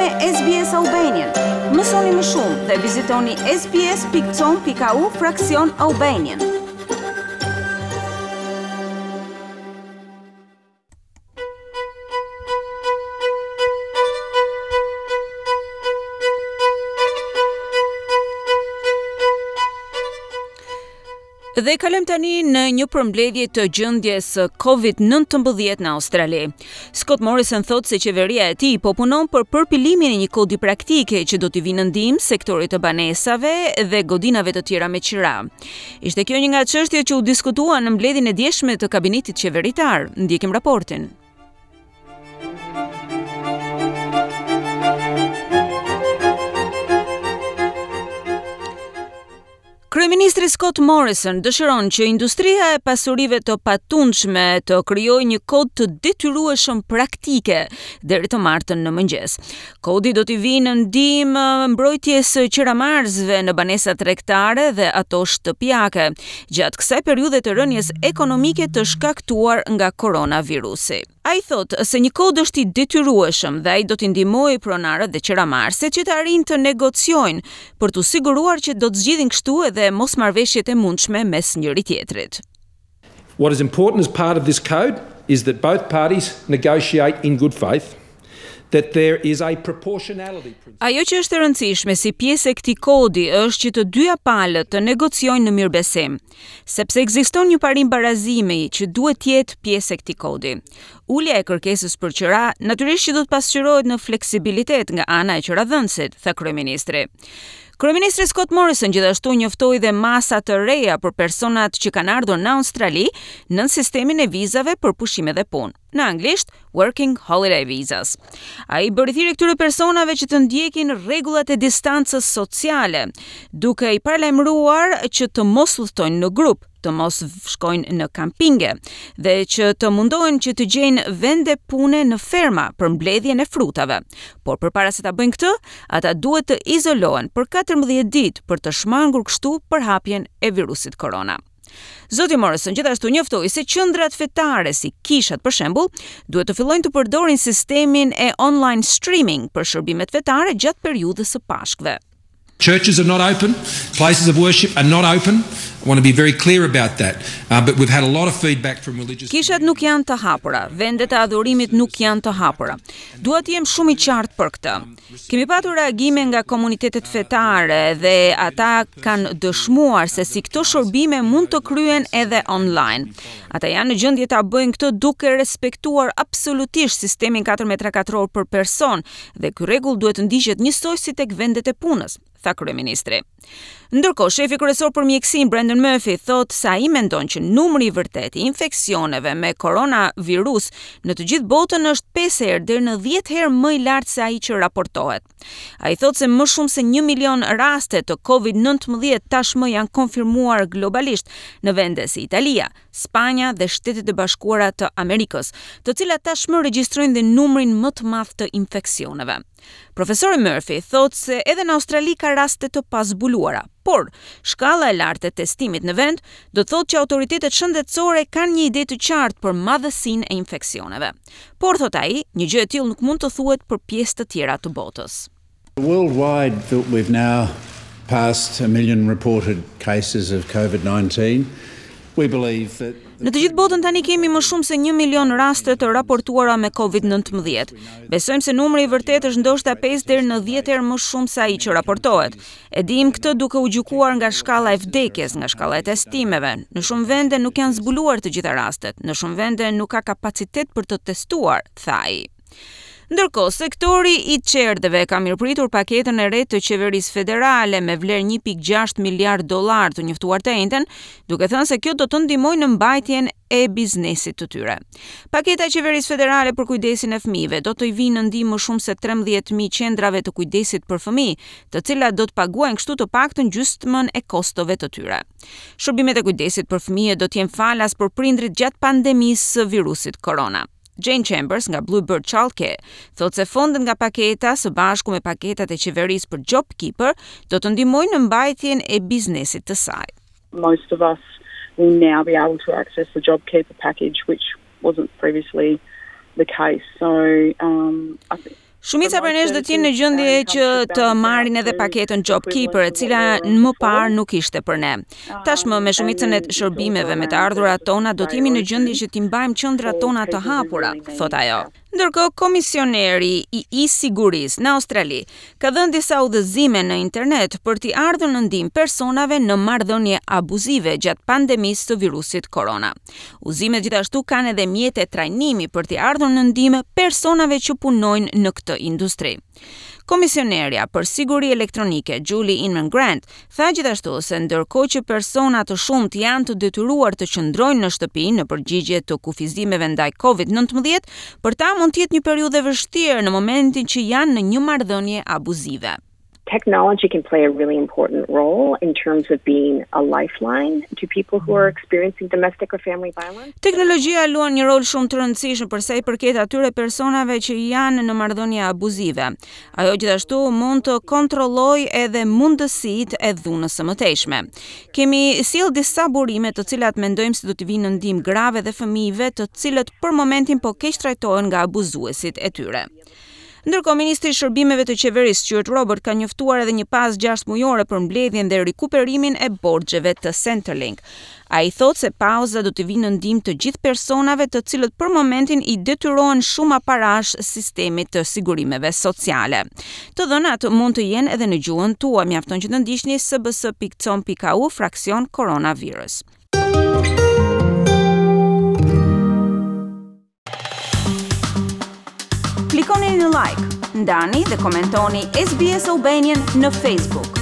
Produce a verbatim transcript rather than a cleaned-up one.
me S B S Albanian. Mësoni më shumë dhe vizitoni S B S pikë com pikë A U fraksion Albanian. Dhe kalojmë tani në një përmbledhje të gjendjes së Covid nëntëmbëdhjetë në Australi. Scott Morrison thotë se qeveria e tij po punon për përpilimin e një kodi praktike që do t'i vinë në ndihmë sektorit të banesave dhe godinave të tjera me qira. Ishte kjo një nga çështjet që u diskutua në mbledhjen e djeshme të kabinetit qeveritar. Ndjekim raportin. Kryeministri Scott Morrison dëshiron që industria e pasurive të patundshme të krijojë një kod të detyrueshëm praktike deri të martën në mëngjes. Kodi do t'i vijë në ndihmë mbrojtjes së qiramarrësve në banesa tregtare dhe ato shtëpiake gjatë kësaj periudhe të rënies ekonomike të shkaktuar nga koronavirusi. Ai thotë se një kod është i detyrueshëm dhe ai do t'i ndihmojë pronarët dhe qiramarrësit që të arrijnë të negociojnë për t'u siguruar që do të zgjidhin kështu edhe mosmarrëveshjet e mundshme mes njëri tjetrit. What is important as part of this code is that both parties negotiate in good faith, that there is a proportionality principle. Ajo që është e rëndësishme si pjesë e këtij kodi është që të dyja palët të negociojnë në mirëbesim, sepse ekziston një parim barazimi që duhet të jetë pjesë e këtij kodi. Ulja e kërkesës për qira natyrisht që do të pasqyrohet në fleksibilitet nga ana e qiradhënësit, tha kryeministri. Kryeministri Scott Morrison gjithashtu njoftoi dhe masa të reja për personat që kanë ardhur në Australi nën sistemin e vizave për pushime dhe punë, në anglisht Working Holiday Visas. Ai bëri thirrje këtyre personave që të ndjekin rregullat e distancës sociale, duke i paralajmëruar që të mos udhtojnë në grup, të mos shkojnë në kampinge dhe që të mundohen që të gjejnë vende pune në ferma për mbledhjen e frutave. Por përpara se ta bëjnë këtë, ata duhet të izolohen për katërmbëdhjetë ditë për të shmangur kështu përhapjen e virusit korona. Zoti Morrison gjithashtu njoftoi se qendrat fetare si kishat, për shembull, duhet të fillojnë të përdorin sistemin e online streaming për shërbimet fetare gjatë periudhës së Pashkëve. Churches are not open, places of worship are not open. I want to be very clear about that. Uh, but we've had a lot of feedback from religious Kishat nuk janë të hapura, vendet e adhurimit nuk janë të hapura. Dua të jem shumë i qartë për këtë. Kemi patur reagime nga komunitetet fetare dhe ata kanë dëshmuar se si këto shërbime mund të kryen edhe online. Ata janë në gjendje ta bëjnë këtë duke respektuar absolutisht sistemin katër metra katror për person dhe ky rregull duhet të ndiqet njësoj si tek vendet e punës, tha kryeministri. Ndërkohë, shefi kryesor për mjekësinë Brendan Murphy thotë se ai mendon që numri i vërtetë i infeksioneve me koronavirus në të gjithë botën është pesë herë deri në dhjetë herë më i lartë se ai që raportohet. Ai thotë se më shumë se një milion raste të Covid nëntëmbëdhjetë tashmë janë konfirmuar globalisht në vende si Italia, Spanja dhe Shtetet e Bashkuara të Amerikës, të cilat tashmë regjistrojnë dhe numrin më të madh të infeksioneve. Profesori Murphy thotë se edhe në Australi ka raste të pazbuluara, por shkalla e lartë e testimit në vend do të thotë që autoritetet shëndetësore kanë një ide të qartë për madhësinë e infeksioneve. Por, thotë ai, një gjë e tillë nuk mund të thuhet për pjesë të tjera të botës. Worldwide, we've now passed a million reported cases of COVID nineteen. We believe that Në të gjithë botën tani kemi më shumë se një milion raste të raportuara me Covid nëntëmbëdhjetë. Besojmë se numri i vërtetë është ndoshta pesë deri në dhjetë herë më shumë se ai që raportohet. E dim këtë duke u gjykuar nga shkalla e vdekjes, nga shkalla e testimeve. Në shumë vende nuk janë zbuluar të gjitha rastet, në shumë vende nuk ka kapacitet për të testuar, tha ai. Ndërkohë, sektori i çerdheve ka mirëpritur paketën e re të qeverisë federale me vlerë një pikë gjashtë miliard dollar të njoftuar të enjten, duke thënë se kjo do të ndihmojë në mbajtjen e biznesit të tyre. Paketa e qeverisë federale për kujdesin e fëmijëve do të i vinë në ndihmë më shumë se trembëdhjetë mijë qendrave të kujdesit për fëmijë, të cilat do të paguajnë kështu të paktën gjysmën e kostove të tyre. Shërbimet e kujdesit për fëmijë do të jenë falas për prindrit gjatë pandemisë së virusit korona. Jane Chambers nga Bluebird Childcare thotë se fondet nga paketa së bashku me paketat e qeverisë për JobKeeper do të ndihmojnë në mbajtjen e biznesit të saj. Most of us will now be able to access the JobKeeper package, which wasn't previously the case. So, um, I think Shumica prej nesh do të jenë në gjendje që të marrin edhe paketën JobKeeper, e cila më parë nuk ishte për ne. Tashmë me shumicën e shërbimeve me të ardhurat tona do të jemi në gjendje që t'i mbajmë qendrat tona të hapura, thot ajo. Ndërkohë, komisioneri i e-sigurisë në Australi ka dhënë disa udhëzime në internet për t'i ardhur në ndihmë personave në marrëdhënie abuzive gjatë pandemisë së virusit korona. Udhëzimet gjithashtu kanë edhe mjete trajnimi për t'i ardhur në ndihmë personave që punojnë në këtë industri. Komisionerja për siguri elektronike Julie Inman Grant tha gjithashtu se ndërkohë që persona të shumtë janë të detyruar të qëndrojnë në shtëpi në përgjigje të kufizimeve ndaj COVID nëntëmbëdhjetë, për ta mund të jetë një periudhë e vështirë në momentin që janë në një marrëdhënie abuzive. Technology can play a really important role in terms of being a lifeline to people who are experiencing domestic or family violence. Teknologjia luan një rol shumë të rëndësishëm për sa i përket atyre personave që janë në marrëdhënie abuzive. Ajo gjithashtu mund të kontrollojë edhe mundësitë e dhunës së mëtejshme. Kemi sjell disa burime, të cilat mendojmë se do të vinë në ndihmë grave dhe fëmijëve, të cilët për momentin po keq trajtohen nga abuzuesit e tyre. Ndërkohë, ministri i Shërbimeve të Qeverisë Stuart Robert ka njoftuar edhe një pauzë gjashtë mujore për mbledhjen dhe rikuperimin e borxheve të Centrelink. Ai thotë se pauza do të vinë në ndihmë të gjithë personave, të cilët për momentin i detyrohen shuma parash sistemit të sigurimeve sociale. Të dhënat mund të jenë edhe në gjuhën tuaj, mjafton që të ndiqni S B S pikë com pikë A U fraksion coronavirus. Klikoni në like, ndani dhe komentoni S B S Albanian në Facebook.